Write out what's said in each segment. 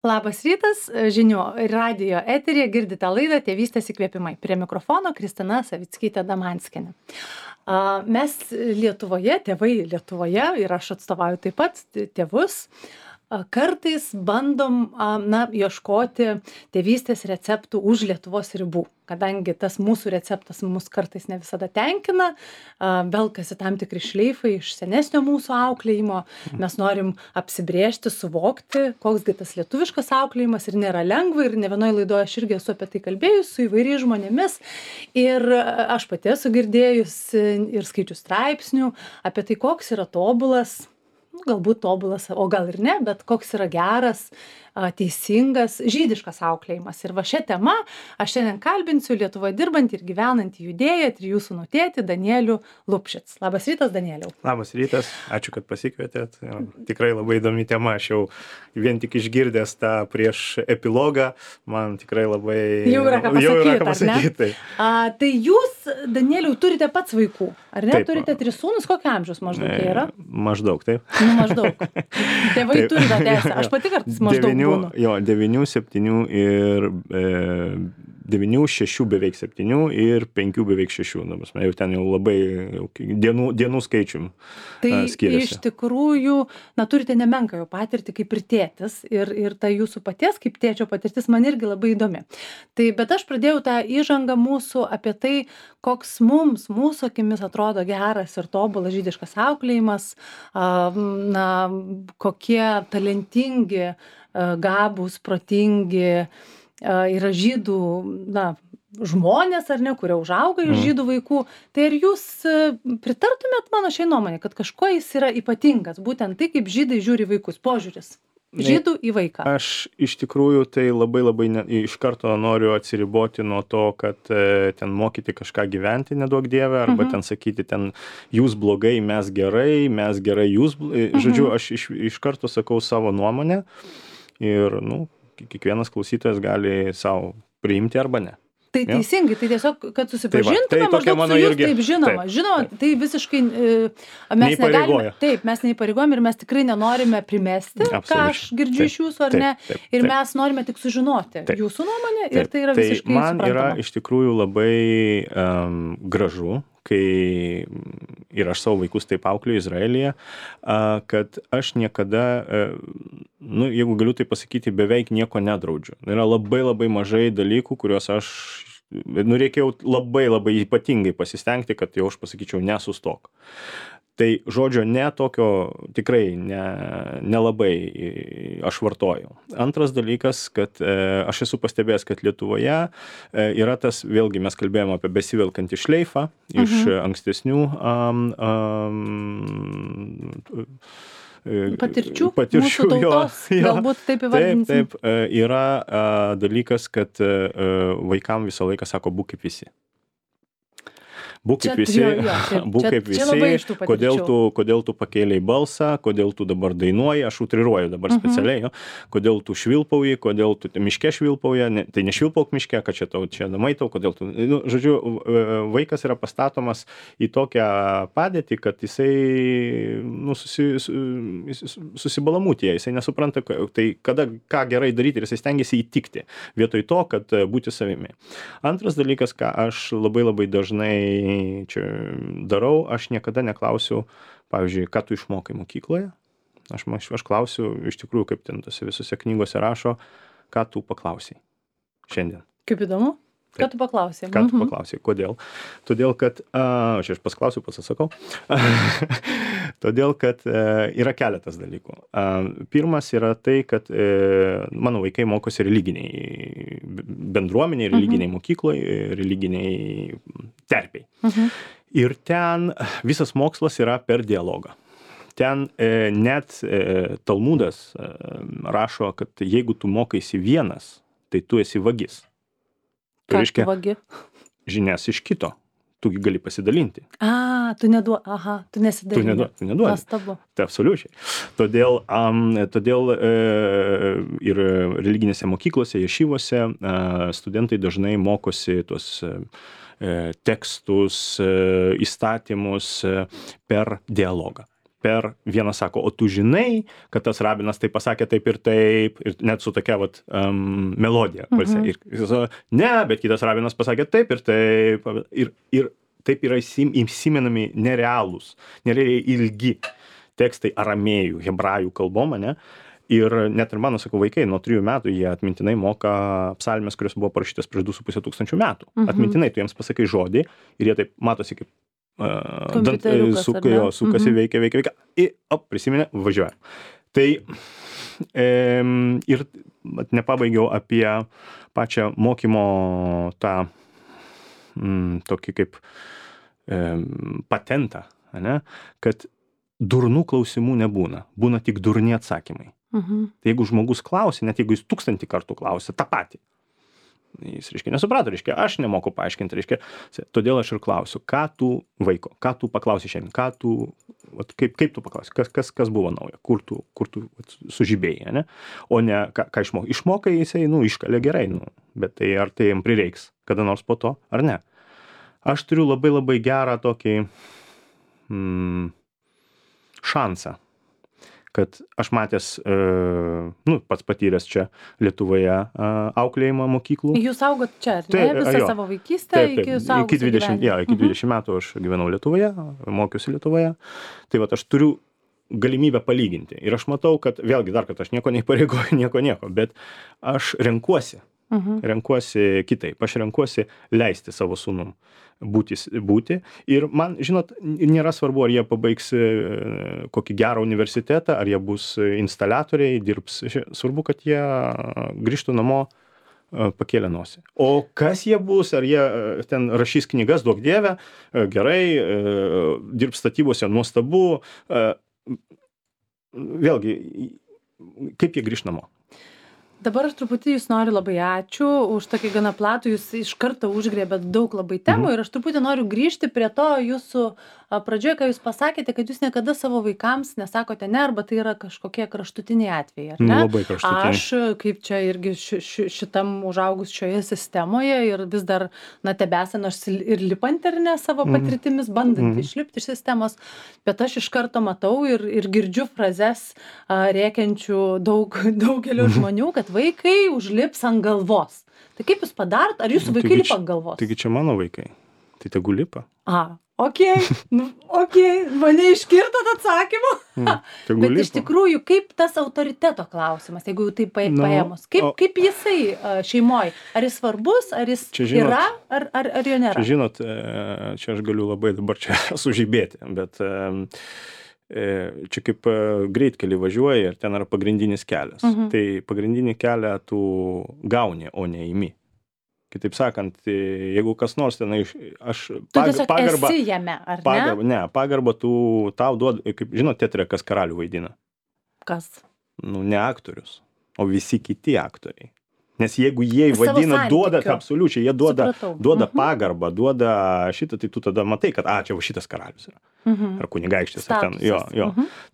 Labas rytas, žinių radijo eteryje girdite laidą Tėvystės įkvėpimai. Prie mikrofono Kristina Savickytė-Damanskienė. Mes Lietuvoje, tėvai Lietuvoje, ir aš atstovauju taip pat tėvus, kartais bandom ieškoti tėvystės receptų už Lietuvos ribų, kadangi tas mūsų receptas mus kartais ne visada tenkina, velkasi tam tikri šleifai iš senesnio mūsų auklėjimo, mes norim apsibrėžti, suvokti, koksgi tas lietuviškas auklėjimas ir nėra lengva ir ne vienoje laidoje aš irgi esu apie tai kalbėjus su įvairiais žmonėmis ir aš pati esu girdėjus ir skaičius straipsnių apie tai, koks yra tobulas, galbūt tobulas, o gal ir ne, bet koks yra geras, teisingas, žydiškas auklėjimas. Ir va šią temą aš šiandien kalbinsiu Lietuvoje dirbantį ir gyvenantį judėją, 3 sūnų tėtį Danielių Lupšits. Labas rytas, Danieliau. Labas rytas, ačiū, kad pasikvietėt. Tikrai labai įdomi tema, aš jau vien tik išgirdęs tą prieš epilogą, man tikrai labai... Jau yra ką pasakyti. Tai jūs, Danieliau, turite pats vaikų, ar ne? Taip. Turite 3 sūnus, kokio amžiaus maždaug jie yra? Maždaug, taip. Maždaug. Tėvai turi tą teisę. Aš pati kartais maždaug būnu. 9, 7 ir 9, 6 beveik 7 ir 5 beveik 6. Jau ten jau labai dienų skaičium skiriasi. Tai iš tikrųjų, turite nemenką jau patirtį kaip ir tėtis ir ta jūsų paties kaip tėčio patirtis man irgi labai įdomi. Bet aš pradėjau tą įžangą mūsų apie tai, koks mūsų akimis atrodo geras ir tobulas žydiškas auklėjimas, kokie talentingi, gabūs, protingi yra žydų, žmonės ar ne, kurie užauga iš žydų vaikų. Tai ar jūs pritartumėt mano šiai nuomonė, kad kažkuo jis yra ypatingas, būtent tai, kaip žydai žiūri vaikus, požiūris žydų į vaiką? Aš iš tikrųjų tai labai iš karto noriu atsiriboti nuo to, kad ten mokyti kažką gyventi, neduok dieve, arba ten sakyti, ten jūs blogai, mes gerai, jūs... Žodžiu, aš iš karto sakau savo nuomonę ir, kiekvienas klausytojas gali savo priimti arba ne. Tai teisingai, tai tiesiog, kad susipažintume maždaug su jūs, taip žinoma. Žinoma, tai visiškai mes negalime, mes neįpareigojame ir mes tikrai nenorime primesti, ką aš girdžiu iš jūsų ar ne, ir mes norime tik sužinoti jūsų nuomonę ir tai yra visiškai suprantama. Man yra iš tikrųjų labai gražu, kai ir aš savo vaikus taip auklėju Izraelyje, kad aš niekada, jeigu galiu tai pasakyti, beveik nieko nedraudžiu. Yra labai mažai dalykų, kuriuos aš, reikėjau labai ypatingai pasistengti, kad jau aš pasakyčiau nesustok. Tai žodžio ne tokio tikrai nelabai aš vartoju. Antras dalykas, kad aš esu pastebėjęs, kad Lietuvoje yra tas, vėlgi mes kalbėjome apie besivelkantį šleifą iš ankstesnių patirčių mūsų tautos, galbūt taip įvardinsim. Taip, yra dalykas, kad vaikam visą laiką sako, būk kaip visi. Būk kaip visi, kodėl tu pakėlei balsą, kodėl tu dabar dainuoji, aš utriruoju dabar specialiai, kodėl tu švilpauji, kodėl tu miške švilpauji, tai nešvilpauk miške, kad čia namai tau, kodėl tu... Žodžiu, vaikas yra pastatomas į tokią padėtį, kad jisai susibalamūtėja, jisai nesupranta, tai ką gerai daryti ir jisai stengiasi įtikti, vietoj to, kad būti savimi. Antras dalykas, ką aš labai dažnai čia darau, aš niekada neklausiu, pavyzdžiui, ką tu išmokai mokykloje. Aš klausiu, iš tikrųjų, kaip ten tose visose knygose rašo, ką tu paklausai šiandien. Kaip įdomu? Ką tu paklausai? Ką tu paklausai? Kodėl? Todėl, kad, aš pasklausiu, pasisakau, todėl, kad yra keletas dalykų. Pirmas yra tai, kad mano vaikai mokosi religiniai bendruomeniai, religiniai mokykloje, religiniai terpiai. Ir ten visas mokslas yra per dialogą. Ten net Talmudas rašo, kad jeigu tu mokaisi vienas, tai tu esi vagis. Ką tu vagi? Žinias iš kito. Tu gali pasidalinti. Tu nesidalini. Tu neduodi. Nuostabu. Tai absoliučiai. Todėl ir religinėse mokyklose, ješivose studentai dažnai mokosi tuos tekstus, įstatymus per dialogą. vienas sako, o tu žinai, kad tas rabinas tai pasakė taip, ir net su tokia melodija. Ir jis sako, ne, bet kitas rabinas pasakė taip ir taip. Ir taip yra įsimenami nerealiai ilgi tekstai aramėjų, hebrajų kalbom, ne? Ir net ir mano, sakau, vaikai nuo 3 metų jie atmintinai moka psalmes, kurios buvo parašytas prieš 2,5 tūkstančių metų. Atmintinai tu jiems pasakai žodį ir jie taip matosi kaip sukasi, veikia. Ir prisiminė, važiuoja. Tai ir nepabaigiau apie pačią mokymo tą tokį kaip patentą, ne? Kad durnų klausimų nebūna, būna tik durni atsakymai. Tai jeigu žmogus klausia, net jeigu jis 1000 kartų klausia tą patį, jis, reiškia, nesuprato, reiškia, aš nemoku paaiškinti, reiškia, todėl aš ir klausiu, ką tu paklausi šiandien, kaip tu paklausi, kas buvo nauja, kur tu sužibėjai, ne? O ne, ką išmokai. Išmokai jisai, iškalė gerai, bet tai ar tai jam prireiks kada nors po to, ar ne? Aš turiu labai labai gerą tokį šansą, kad aš matęs, pats patyręs čia Lietuvoje auklėjimą mokyklų. Jūs augot čia, ar ne? Visą savo vaikystę iki suaugusio gyvenimo? Iki 20 metų aš gyvenau Lietuvoje, mokiausi Lietuvoje. Tai aš turiu galimybę palyginti. Ir aš matau, kad vėlgi dar, kad aš nieko neįpareigoju, nieko, bet aš renkuosi kitaip. Aš renkuosi leisti savo sūnum būti. Ir man, žinot, nėra svarbu, ar jie pabaigs kokį gerą universitetą, ar jie bus instaliatoriai, dirbs. Svarbu, kad jie grįžtų namo pakėlę nosį. O kas jie bus, ar jie ten rašys knygas, duok dieve, gerai, dirbs statybose, nuostabu. Vėlgi, kaip jie grįž namo? Dabar aš truputį jūs noriu labai ačiū už tokį gana platų, jūs iš karto užgrėbėt daug labai temų ir aš truputį noriu grįžti prie to jūsų pradžioje, ką jūs pasakėte, kad jūs niekada savo vaikams nesakote ne, arba tai yra kažkokie kraštutiniai atvejai, ar ne? Labai kraštutiniai. Aš, kaip čia irgi šitam užaugus šioje sistemoje ir vis dar, tebesą, nors ir lipant ar ne savo patirtimis, bandant išlipti iš sistemos, bet aš iš karto matau ir girdžiu frazes rėkiančių daugelio žmonių, kad vaikai užlips ant galvos. Tai kaip jūs padarot? Ar jūsų vaikai lipa ant galvos? Taigi čia mano vaikai. Tai tegu lipa. Okei, mane iškirtot atsakymu. Bet iš tikrųjų, kaip tas autoriteto klausimas, jeigu jau taip paėmus, kaip jisai šeimoje? Ar jis svarbus, ar jis yra, ar jo nėra? Čia žinot, čia aš galiu labai dabar čia sužibėti, bet čia kaip greitkelį važiuoja ir ten yra pagrindinis kelias. Tai pagrindinį kelią tu gauni, o ne imi. Kitaip sakant, jeigu kas nors tenai, aš pagarbą... esi jame, ar ne? Pagarbą tau duoda, kaip žinot, teatre, kas karalių vaidina. Kas? Ne aktorius, o visi kiti aktoriai. Nes jeigu jie vadina, duoda, absoliučiai, jie duoda pagarbą, duoda šitą, tai tu tada matai, kad, čia va šitas karalius yra. Ar kunigaikštis, ar ten, jo.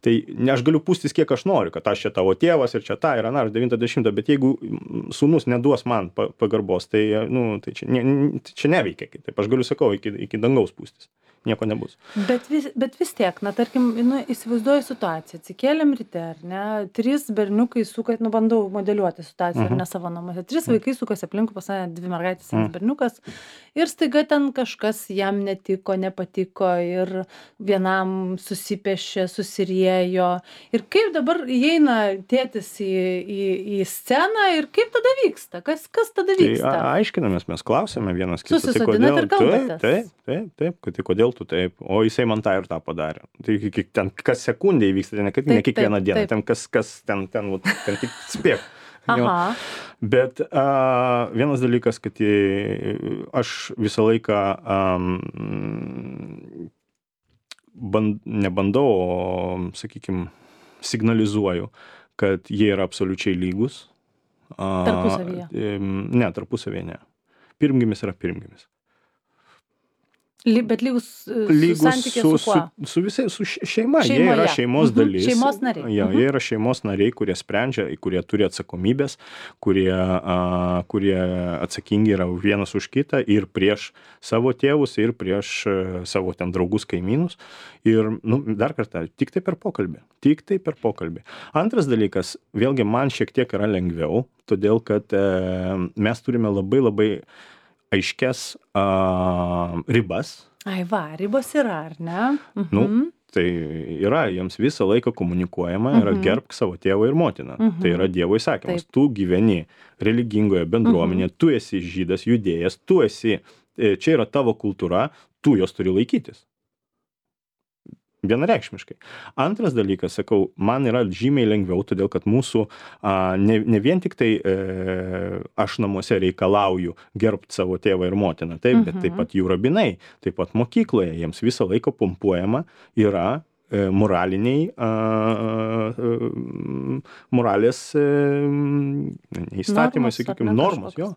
Tai ne aš galiu pūstis, kiek aš noriu, kad aš čia tavo tėvas ir čia ta ir 90, bet jeigu sūnus neduos man pagarbos, tai, tai čia neveikia kitaip. Aš galiu, sakau, iki dangaus pūstis. Nieko nebus. Bet vis tiek, tarkim, įsivaizduoju situaciją. Atsikėlėm ryte, ar ne? 3 berniukai suka, bandau modeliuoti situaciją, ar ne savo namuose. 3 vaikai sukasi aplinkui, pas mane 2 mergaitės, 1 berniukas. Ir staiga ten kažkas jam netiko, nepatiko ir vienam susipešė, susiriejo. Ir kaip dabar įeina tėtis į sceną ir kaip tada vyksta? Kas tada vyksta? Tai aiškinamės, mes klausėme vienas kitą. Susisodinat ir kalbatės. Taip, kad kodėl tu taip, o jisai man tą ir tą padarė. Tai ten kas sekundė įvyksta, ne kiekvieną dieną, ten kas ten tik spėk. Bet vienas dalykas, kad aš visą laiką nebandau, o, sakykime, signalizuoju, kad jie yra absoliučiai lygus. Tarpusavyje? Ne, tarpusavyje ne. Pirmgimis yra pirmgimis. Bet lygus santykiai su kuo? Su visai, su šeima. Jie Šeimoje. yra šeimos dalis. Šeimos nariai. Jie yra šeimos nariai, kurie sprendžia, kurie turi atsakomybės, kurie atsakingi yra vienas už kitą ir prieš savo tėvus, ir prieš savo ten draugus, kaimynus. Ir, dar kartą, tik tai per pokalbį. Tik tai per pokalbį. Antras dalykas, vėlgi man šiek tiek yra lengviau, todėl kad mes turime labai labai aiškias ribas. Ai va, ribos yra, ar ne? Tai yra, jiems visą laiką komunikuojama, yra gerbk savo tėvą ir motiną. Tai yra Dievo įsakymas. Taip. Tu gyveni religingoje bendruomenėje, tu esi žydas, judėjas, tu esi, čia yra tavo kultūra, tu jos turi laikytis. Vienareikšmiškai. Antras dalykas, sakau, man yra žymiai lengviau, todėl kad mūsų ne vien tik tai aš namuose reikalauju gerbti savo tėvą ir motiną, taip, bet taip pat jų rabinai, taip pat mokykloje, jiems visą laiką pumpuojama yra moraliniai, moralės įstatymai, sakykime, normos, jo,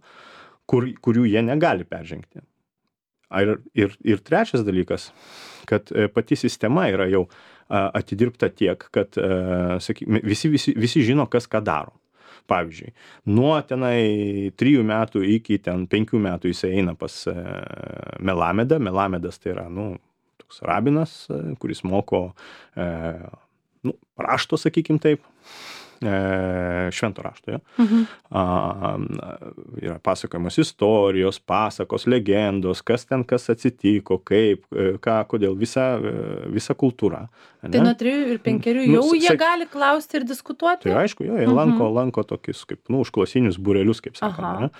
kurių jie negali peržengti. Ir trečias dalykas, kad pati sistema yra jau atidirbta tiek, kad sakykime, visi žino, kas ką daro. Pavyzdžiui, nuo tenai 3 metų iki ten 5 metų jis eina pas Melamedą. Melamedas tai yra, toks rabinas, kuris moko rašto, sakykim taip. Švento rašto, yra pasakojamos istorijos, pasakos, legendos, kas atsitiko, kaip, ką, kodėl, visa kultūra. Tai nuo 3 ir 5 jau jie gali klausti ir diskutuoti? Tai aišku, jie lanko tokius, kaip, užklasinius būrelius, kaip sakoma.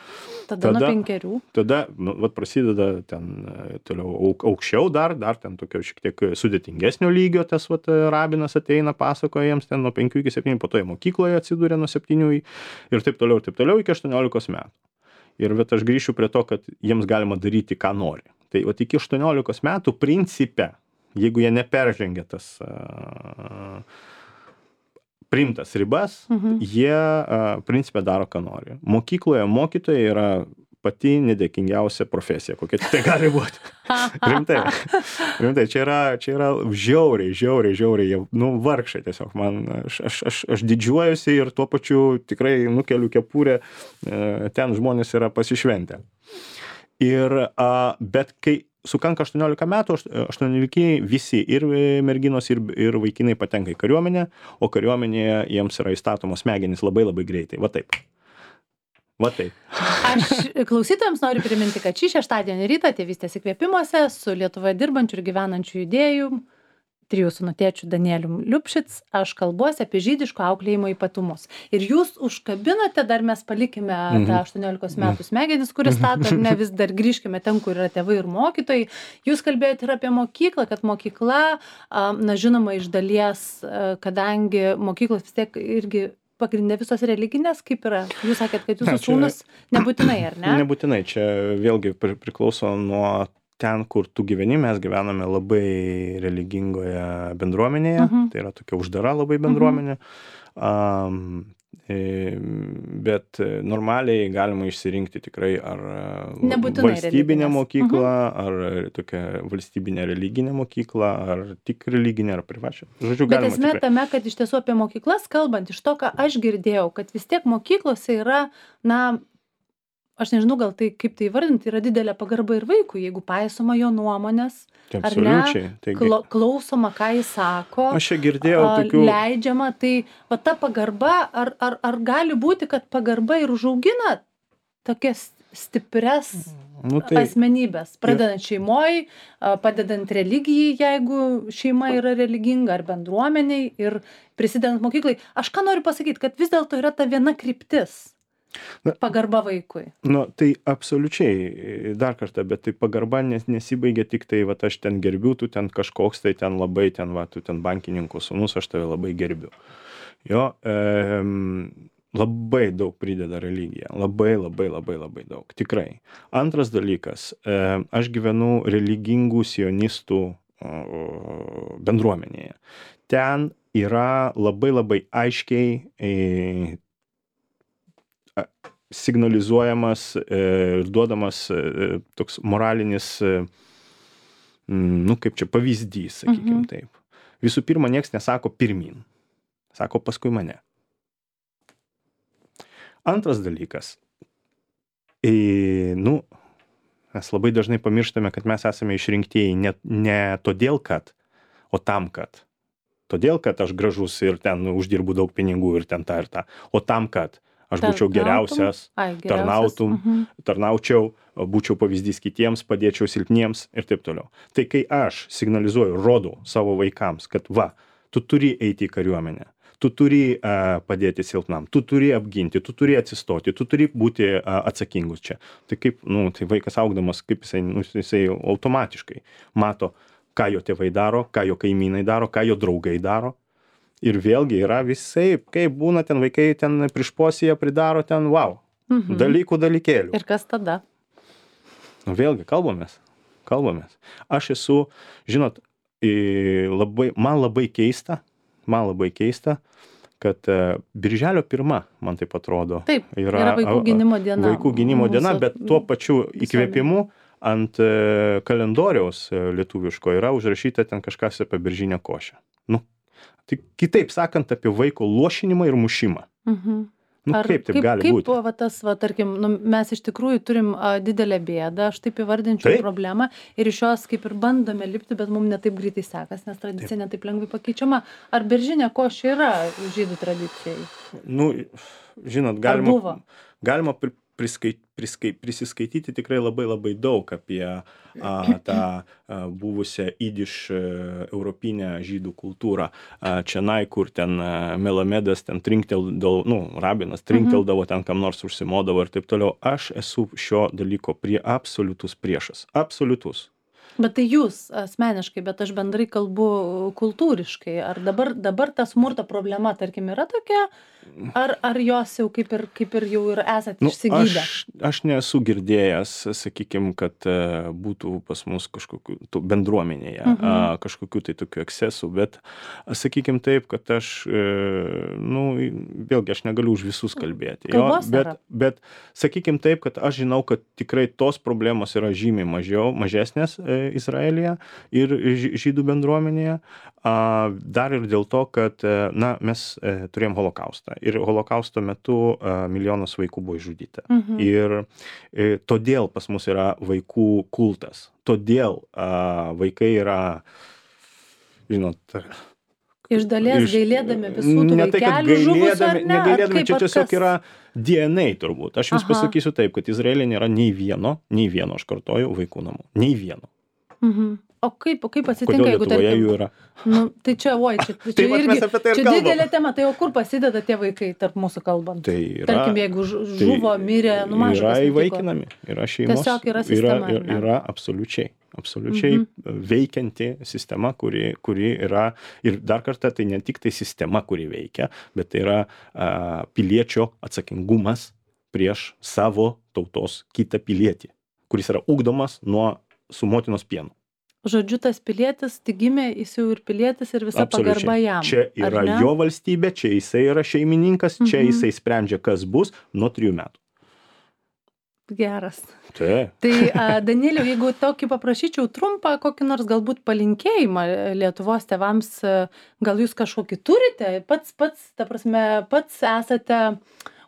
Tada nuo 5. Tada, prasideda ten toliau aukščiau dar ten tokio šiek tiek sudėtingesnio lygio, tas rabinas ateina, pasakoja jiems ten nuo 5 iki 7, po to jie mokykloje atsidūrė nuo 7 ir taip toliau iki 18 metų. Ir aš grįšiu prie to, kad jiems galima daryti, ką nori. Tai iki 18 metų principe, jeigu jie neperžengia tas priimtas ribas, jie principe daro, ką nori. Mokykloje mokytojai yra pati nedėkingiausia profesija, kokia tai gali būti. Rimtai, čia yra žiauriai, vargšai tiesiog. Aš didžiuojuosi ir tuo pačiu tikrai nukeliu kepurę, ten žmonės yra pasišventę. Bet kai sukanka 18 metų, 18 visi ir merginos, ir vaikinai patenka į kariuomenę, o kariuomenėje jiems yra įstatomos smegenys labai labai greitai. Va taip. Aš klausytojams noriu priminti, kad šį šeštadienį rytą Tėvystės įkvėpimuose su Lietuvoje dirbančiu ir gyvenančiu judėju, 3 sūnų tėčiu Danielium Liupšic, aš kalbuosi apie žydiško auklėjimo ypatumus. Ir jūs užkabinote, dar mes palikime tą 18 metų smegenis, kuris stato, ne vis dar grįžkime ten, kur yra tėvai ir mokytojai. Jūs kalbėjote ir apie mokyklą, kad mokykla, žinoma, iš dalies, kadangi mokyklos vis tiek irgi pagrindė visos religinės, kaip yra? Jūs sakėt, kad jūsų sūnus nebūtinai, ar ne? Nebūtinai, čia vėlgi priklauso nuo ten, kur tu gyveni. Mes gyvename labai religingoje bendruomenėje, tai yra tokia uždara labai bendruomenė, bet normaliai galima išsirinkti tikrai ar valstybinę mokyklą, ar tokią valstybinę religinę mokyklą, ar tik religinę, ar privačią. Žodžiu, bet esmė tame, kad iš tiesų apie mokyklas kalbant, iš to, ką aš girdėjau, kad vis tiek mokyklose yra, aš nežinau, gal tai kaip tai įvardinti, yra didelė pagarba ir vaikui, jeigu paisoma jo nuomonės, ar ne, klausoma, ką jis sako, aš čia girdėjau tokių leidžiama, tai va ta pagarba, ar gali būti, kad pagarba ir užaugina tokias stipres asmenybės, pradedant šeimoj, padedant religijai, jeigu šeima yra religinga, ar bendruomeniai, ir prisidedant mokyklai. Aš ką noriu pasakyti, kad vis dėlto yra ta viena kryptis. Pagarba vaikui. Tai absoliučiai, dar kartą, bet tai pagarba nesibaigia tik tai, aš ten gerbiu, tu ten kažkoks, tai ten labai, tu ten bankininkų sūnus, aš tave labai gerbiu. Jo, labai daug prideda religija, labai daug, tikrai. Antras dalykas, aš gyvenu religingų sionistų bendruomenėje. Ten yra labai aiškiai signalizuojamas ir duodamas toks moralinis nu, kaip čia, pavyzdys, sakykim taip. Visų pirma, nieks nesako pirmin. Sako paskui mane. Antras dalykas. Nu, mes labai dažnai pamirštame, kad mes esame išrinktieji ne todėl, kad, o tam, kad. Todėl, kad aš gražus ir ten uždirbu daug pinigų ir ten tą ir tą. O tam, kad aš būčiau geriausias, tarnaučiau, būčiau pavyzdys kitiems, padėčiau silpniems ir taip toliau. Tai kai aš signalizuoju, rodau savo vaikams, kad va, tu turi eiti į kariuomenę, tu turi padėti silpnam, tu turi apginti, tu turi atsistoti, tu turi būti atsakingus čia. Tai kaip, tai vaikas augdamas, kaip jisai automatiškai mato, ką jo tėvai daro, ką jo kaimynai daro, ką jo draugai daro. Ir vėlgi yra visai, kaip būna ten vaikai ten prišposyje pridaro ten, wow, dalykėlių. Ir kas tada? Vėlgi, kalbamės. Aš esu, žinot, man labai keista, kad Birželio 1, man taip atrodo, taip, yra vaikų gynimo diena. Vaikų gynimo diena, bet tuo pačiu įkvėpimu ant kalendoriaus lietuviško yra užrašyta ten kažkas apie beržinę košę. Nu, tai kitaip sakant, apie vaiko lošinimą ir mušimą. Kaip taip gali būti? Kaip tas, tarkim, mes iš tikrųjų turim didelę bėdą, aš taip įvardinčiau problemą ir iš jos kaip ir bandome lipti, bet mums netaip greitai sekas, nes tradicija netaip lengvai pakeičiama. Ar beržinė košė yra žydų tradicijai? Nu, žinot, galima prisiskaityti tikrai labai daug apie tą buvusią idiš europinę žydų kultūrą. Čionai, kur ten Melamedas ten trinkteldavo, rabinas trinkteldavo, ten kam nors užsimodavo ir taip toliau. Aš esu šio dalyko absoliutus priešas. Absoliutus. Bet tai jūs asmeniškai, bet aš bendrai kalbu kultūriškai. Ar dabar ta smurto problema, tarkim, yra tokia? Ar jos jau kaip ir jau ir esat išsigydę? Aš nesu girdėjęs, sakykim, kad būtų pas mus kažkokių bendruomenėje, kažkokių tai tokių ekscesų, bet sakykim taip, kad aš, vėlgi aš negaliu už visus kalbėti. Bet sakykim taip, kad aš žinau, kad tikrai tos problemos yra žymiai mažesnės Izraelyje ir žydų bendruomenėje. Dar ir dėl to, kad mes turėjom holokaustą ir holokausto metu milijonas vaikų buvo išžudyta. Ir todėl pas mus yra vaikų kultas. Todėl vaikai yra, žinot, iš dalies gailėdami visų tų vaikelių žuvusių, ar ne? Negailėdami, čia tiesiog yra DNA turbūt. Aš jums pasakysiu taip, kad Izraelyje nėra nei vieno, aš kartoju, vaikų namų. Nei vieno. O kaip atsitinka, jeigu Lietuvoje jų yra? Tai čia didelė tema, tai o kur pasideda tie vaikai tarp mūsų kalbant? Tarkim, jeigu žuvo, mirė, mažas. Yra įvaikinami, yra šeimos. Tiesiog yra sistema. Yra absoliučiai veikianti sistema, kuri yra, ir dar kartą tai ne tik tai sistema, kuri veikia, bet tai yra piliečio atsakingumas prieš savo tautos kitą pilietį, kuris yra ugdomas su motinos pienu. Žodžiu, tas pilietis tik gimė, jis jau ir pilietis ir visa pagarba jam. Čia yra jo valstybė, čia jisai yra šeimininkas, čia jisai sprendžia, kas bus nuo 3 metų. Geras. Tai, Danieliau, jeigu tokį paprašyčiau trumpą, kokį nors galbūt palinkėjimą Lietuvos tėvams, gal jūs kažkokį turite, pats esate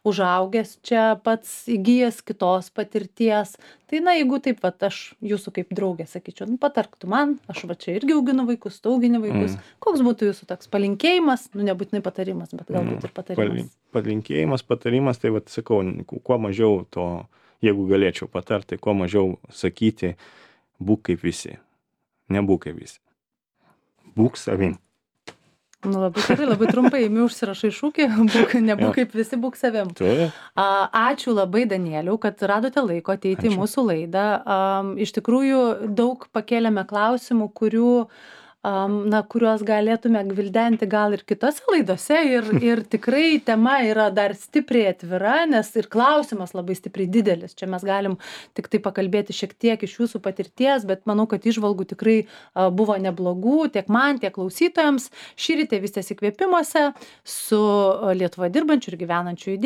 užaugęs čia, pats įgijęs kitos patirties. Tai jeigu taip, aš jūsų kaip draugė sakyčiau, patark tu man, aš čia irgi auginu vaikus, tu augini vaikus. Koks būtų jūsų toks palinkėjimas, nebūtinai patarimas, bet galbūt ir patarimas. Patarimas, tai sakau, kuo mažiau to, jeigu galėčiau patarti, kuo mažiau sakyti, būk kaip visi, nebūk kaip visi. Būk savim. Labai gerai, labai trumpai, užsirašai šūkį, nebūk kaip visi, būk savim. Ačiū labai, Danieliau, kad radote laiko ateiti į mūsų laidą. Iš tikrųjų, daug pakėlėme klausimų, kuriuos galėtume gvildenti gal ir kitose laidose ir tikrai tema yra dar stipriai atvira, nes ir klausimas labai stipriai didelis. Čia mes galim tik tai pakalbėti šiek tiek iš jūsų patirties, bet manau, kad įžvalgų tikrai buvo neblogų tiek man, tiek klausytojams. Šįryt Tėvystės įkvėpimuose su Lietuvoje dirbančiu ir gyvenančiu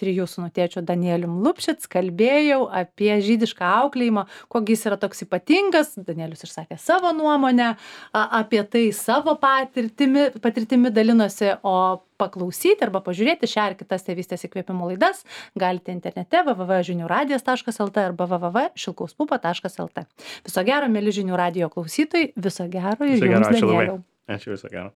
3 sūnų tėčiu Danielium Lupšic kalbėjau apie žydišką auklėjimą, kogi jis yra toks ypatingas. Danielius išsakė savo nuomonę, apie tai savo patirtimi dalinosi, o paklausyti arba pažiūrėti šią ar kitas tėvystės įkvėpimo laidas galite internete www.žiniųradijas.lt arba www.šilkauspupa.lt. Viso gero, mėly Žinių radijo klausytojai, viso gero ir jums, Danieliau. Ačiū, viso gero.